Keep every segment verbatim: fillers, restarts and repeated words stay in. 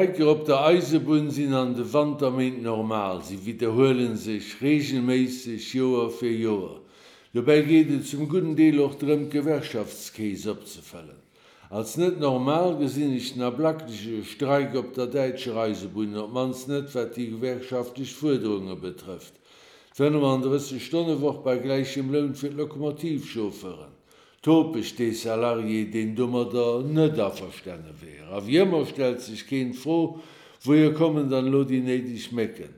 D'Streiker op der Eisebunn sinn an de Wanterméint normal, si widderhuele sech reegelméisseg Joer fir Joer. Dobäi geet et zum gudden Deel och drëm, d'Gewerkschaftskeess opzefëllen. Als net normal gesinn ech den ablackleche Streik op der däitscher Eisebunn, op d'mannst net wat déi gewerkschaftlech Fuerderunge betrëfft, d'fënnefandrësseg Stonne-Woch bei gläichem Loun fir d'Lokomotivchauffeuren. Topeg dee Salarié, deen domadder net averstane wär. A wéi ëmmer stellt sech keen d'Fro, Wouhier kommen dann elo déi néideg Mécken?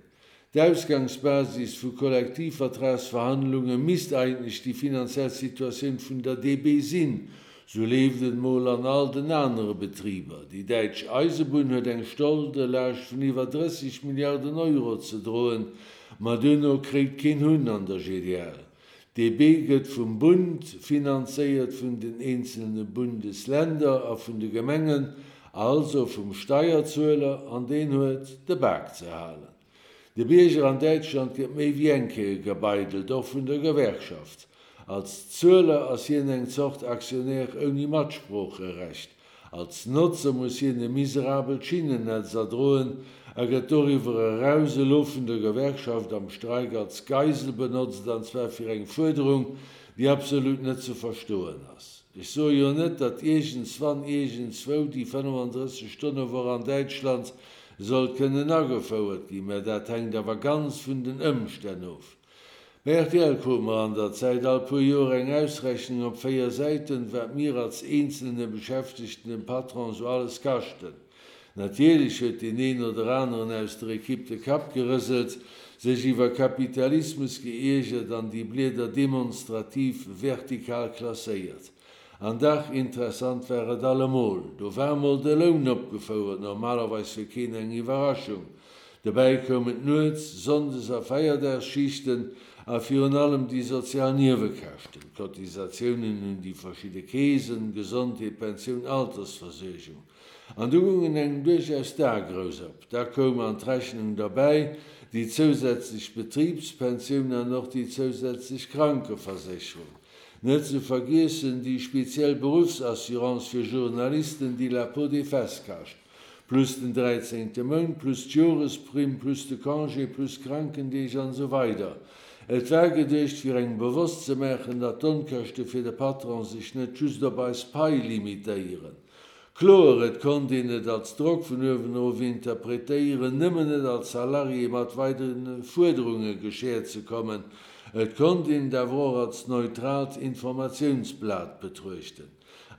D'Ausgangsbasis vu Kollektivvertragsverhandlunge misst eigentlech déi finanziell Situatioun vun der D B sinn. Sou leeft et mol an all den anere Betriber. Déi däitsch Eisebunn huet eng Scholdelaascht vun iwwer drësseg Milliarden Euro ze droen, ma duerno kréit keen Hunn an der G D L. D B gëtt vum Bund finanzéiert, vun den eenzelne Bundesländer a vun de Gemengen, also vum Steierzueler, an deen huet de Bak ze halen. De Bierger an Däitschland gëtt méi wéi eng Kéier gebeidelt, och vun der Gewerkschaft. Als Zueler ass hien eng Zort Aktionär ouni Matsproocherecht. Als Notzer muss hien e miserabelt Schinnennetz erdroen a gëtt doriwwer eraus elo vun der Gewerkschaft am Streik als Geisel benotzt, an zwar fir eng Fuerderung, déi absolut net ze verstoen ass. Ech soe jo net, datt iergendswann iergendswou déi fënnefandrësseg-Stonne-Woch an Däitschland soll kënnen agefouert ginn, mä dat hänkt awer ganz vun den Ëmstänn of. Bei R T L krute mer an der Zäit all puer Joer eng Ausrechnung op véier Säiten, wat mir als eenzelne Beschäftegten dem Patron sou alles kaschten. Natierlech huet deen een oder aneren aus der Equipe de Kapp gerëselt, sech iwwer Kapitalismus geiergert an déi Blieder demonstrativ vertikal klasséiert. An dach, interessant war et allemol. Do war mol de Loun opgefouert, normalerweis fir keen eng Iwwerraschung. Dobäi koumen d'Nuets-, Sonndes a Feierdagsschichten a virun allem déi sozial Niewekäschten, d'Cotisatiounen un déi verschidde Keesen, Gesondheet, Pensioun, Altersversuergung. An du goungen engem duerchaus d'Ae grouss op. Da koum an d'Rechnung derbäi déi zousätzlech Betribspensioun an och déi zousätzlech Krankeversécherung. Net ze vergiessen déi speziell Beruffsassurance fir Journalisten, déi la peau des fesses kascht. Plus den dräizéngte Mount, plus d'Joresprimm, plus de Congé, plus Krankendeeg an esou weider. Et war geduecht, fir engem bewosst ze maachen, datt d'Onkäschte fir de Patron sech net just op eis Pai limitéieren. Kloer, et konnt een et als Drock vun uewen erof interpretéieren, nëmmen net als Salarié mat weidere Fuerderunge geschäert ze kommen. Et konnt een et awer och als neutraalt Informatiounsblat betruechten.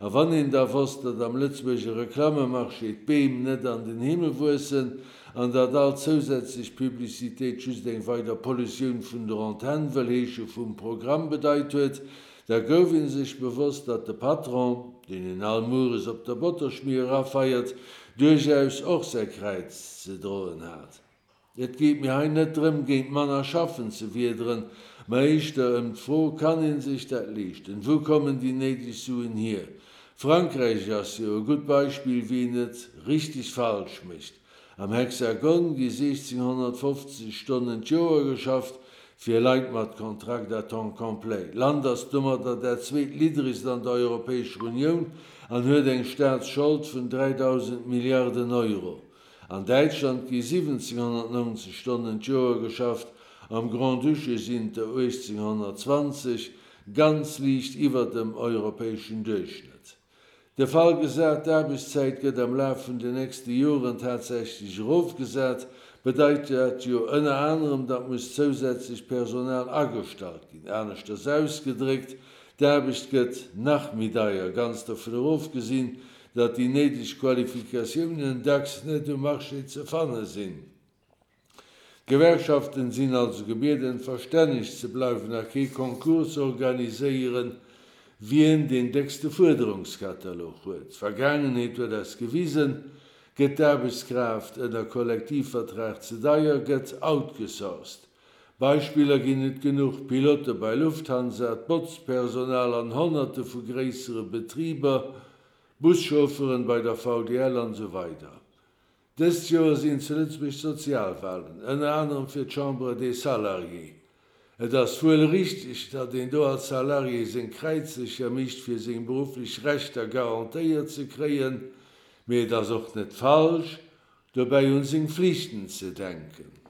A wann een da wosst, datt am Lëtzebuerger Reklammemarché d'Beem net an den Himmel wuessen an datt all zousätzlech Publicitéit just eng weider Pollutioun vun der Antenn, wëll heesche vum Programm, bedeit huet, da gouf ee sech bewosst, datt de Patron, deen een all Mueres op der Botterschmier erafeiert, duerchaus och säi Kräiz ze droen hat. Et geet mir hei net drëm, géint manner Schaffen ze wiederen, ma éischter ëm d'Fro, Kann ee sech dat leeschten? Wou kommen déi néideg Suen hier? Frankräich ass jo e gutt Beispill, wéi een et richteg falsch mécht. Am Hexagon gi siechzehnhonnertfofzeg Stonnen d'Joer geschafft, fir Leit mat Kontrakt à temps complet. D'Land ass domadder dat zweetliddregst an der Europäescher Unioun an huet eng Staatsschold vun dräidausend Milliarden Euro. An Däitschland gi siwwenzehnhonnertneunzeg Stonnen d'Joer geschafft, am Grand-Duché sinn et der uechtzénhonnertzwanzeg, ganz liicht iwwer dem europäeschen Duerchschnëtt. De Fall gesat, d'Aarbechtszäit gëtt am Laf vun den nächste Joren tatsächlech erofgesat, bedeit dat jo ënner anerem, datt muss zousätzlech Personal agestallt ginn. Aneschters ausgedréckt, d'Aarbecht gëtt nach méi deier, ganz dovun erofgesinn, datt déi néideg Qualifikatiounen dacks net um Marché ze fanne sinn. D'Gewerkschaften sinn also gebieden, verstänneg ze bleiwen a kee Concours ze organiséieren, wien deen déckste Fuerderungskatalog huet. D'Vergaangenheet huet eis gewisen, gëtt d'Aarbechtskraaft ënner Kollektivvertrag ze deier, gëtt outgesourced. Beispiller ginn et genuch, Pilote bei Lufthansa, d'Botzpersonal an Honnerte vu gréissere Betriber, Buschaufferen bei der V D L an esou weider. Dëst Joer sinn zu Lëtzebuerg Sozialwahlen, ënner anerem fir d'Chambre des Salariés. Et ass wuel richteg, datt een do als Salarié seng Kräizlecher mischt, fir seng berufflech Rechter garantéiert ze kréien, mee et ass och net falsch, dobäi un seng Flichten ze denken.